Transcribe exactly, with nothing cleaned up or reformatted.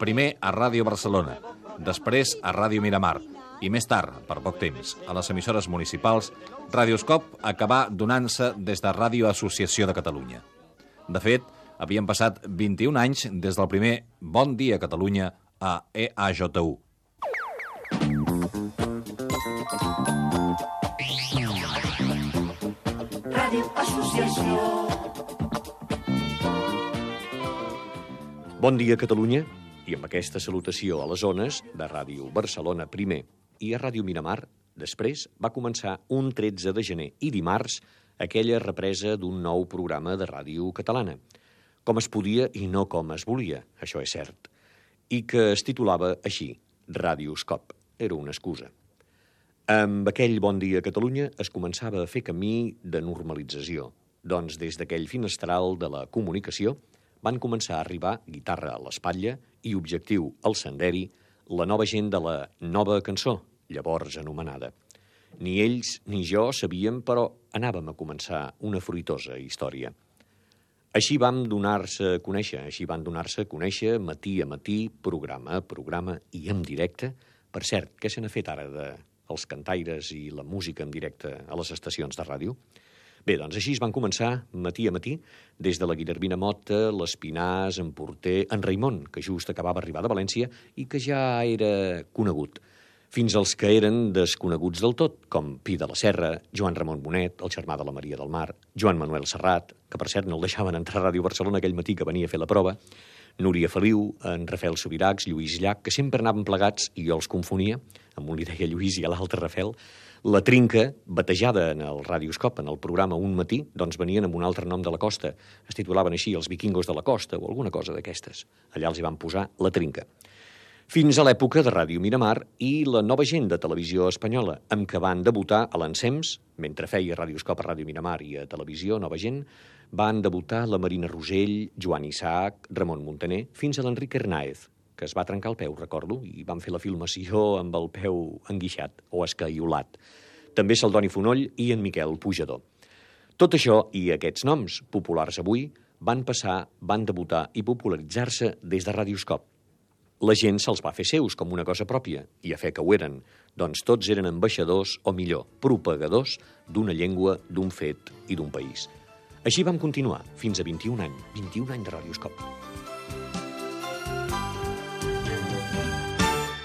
Primer a Ràdio Barcelona, després a Ràdio Miramar i més tard, per poc temps, a les emissores municipals, Radioscop acabà donant-se des de Ràdio Associació de Catalunya. De fet, havien passat vint-i-un anys des del primer Bon Dia Catalunya a E A J U. Ràdio Associació. Bon dia, Catalunya, i amb aquesta salutació a les zones de Ràdio Barcelona primer i a Ràdio Miramar, després va començar un tretze de gener i dimarts aquella represa d'un nou programa de ràdio catalana, com es podia i no com es volia, això és cert, i que es titulava així, Radioscop, era una excusa. Amb aquell Bon Dia Catalunya es començava a fer camí de normalització, doncs des d'aquell finestral de la comunicació van començar a arribar guitarra a l'espatlla i objectiu al senderi, la nova gent de la nova cançó, llavors anomenada. Ni ells ni jo sabíem, però anàvem a començar una fruitosa història. Així vam donar-se a conèixer, així van donar-se a conèixer matí a matí, programa a programa i en directe. Per cert, què se n'ha fet ara dels cantaires i la música en directe a les estacions de ràdio? Bé, doncs així es van començar matí a matí, des de la Guillermina Motta, l'Espinàs, en Porter, en Raimon, que just acabava d'arribar de València i que ja era conegut, fins als que eren desconeguts del tot, com Pi de la Serra, Joan Ramon Bonet, el germà de la Maria del Mar, Joan Manuel Serrat, que per cert no el deixaven entrar a Ràdio Barcelona aquell matí que venia a fer la prova, Núria Feliu, en Rafael Subirachs, Lluís Llach, que sempre anaven plegats i jo els confonia, amb un li deia Lluís i a l'altre Rafael. La Trinca, batejada en el Radioscop, en el programa Un Matí, doncs venien amb un altre nom de la costa. Es titulaven així els vikingos de la costa o alguna cosa d'aquestes. Allà els hi van posar La Trinca. Fins a l'època de Ràdio Miramar i la nova gent de Televisió Espanyola, amb què van debutar a l'Ensems, mentre feia Radioscop a Ràdio Miramar i a Televisió Nova Gent, van debutar la Marina Rosell, Joan Isaac, Ramon Muntaner, fins a l'Enric Hernáez, que es va trencar el peu, recordo, i van fer la filmació amb el peu enguixat o escaiolat. També Saldoni Fonoll i en Miquel Pujador. Tot això i aquests noms, populars avui, van passar, van debutar i popularitzar-se des de Radioscop. La gent se'ls va fer seus com una cosa pròpia, i a fe que ho eren, doncs tots eren ambaixadors, o millor, propagadors d'una llengua, d'un fet i d'un país. Així vam continuar, fins a vint-i-un anys, vint-i-un anys de Radioscop.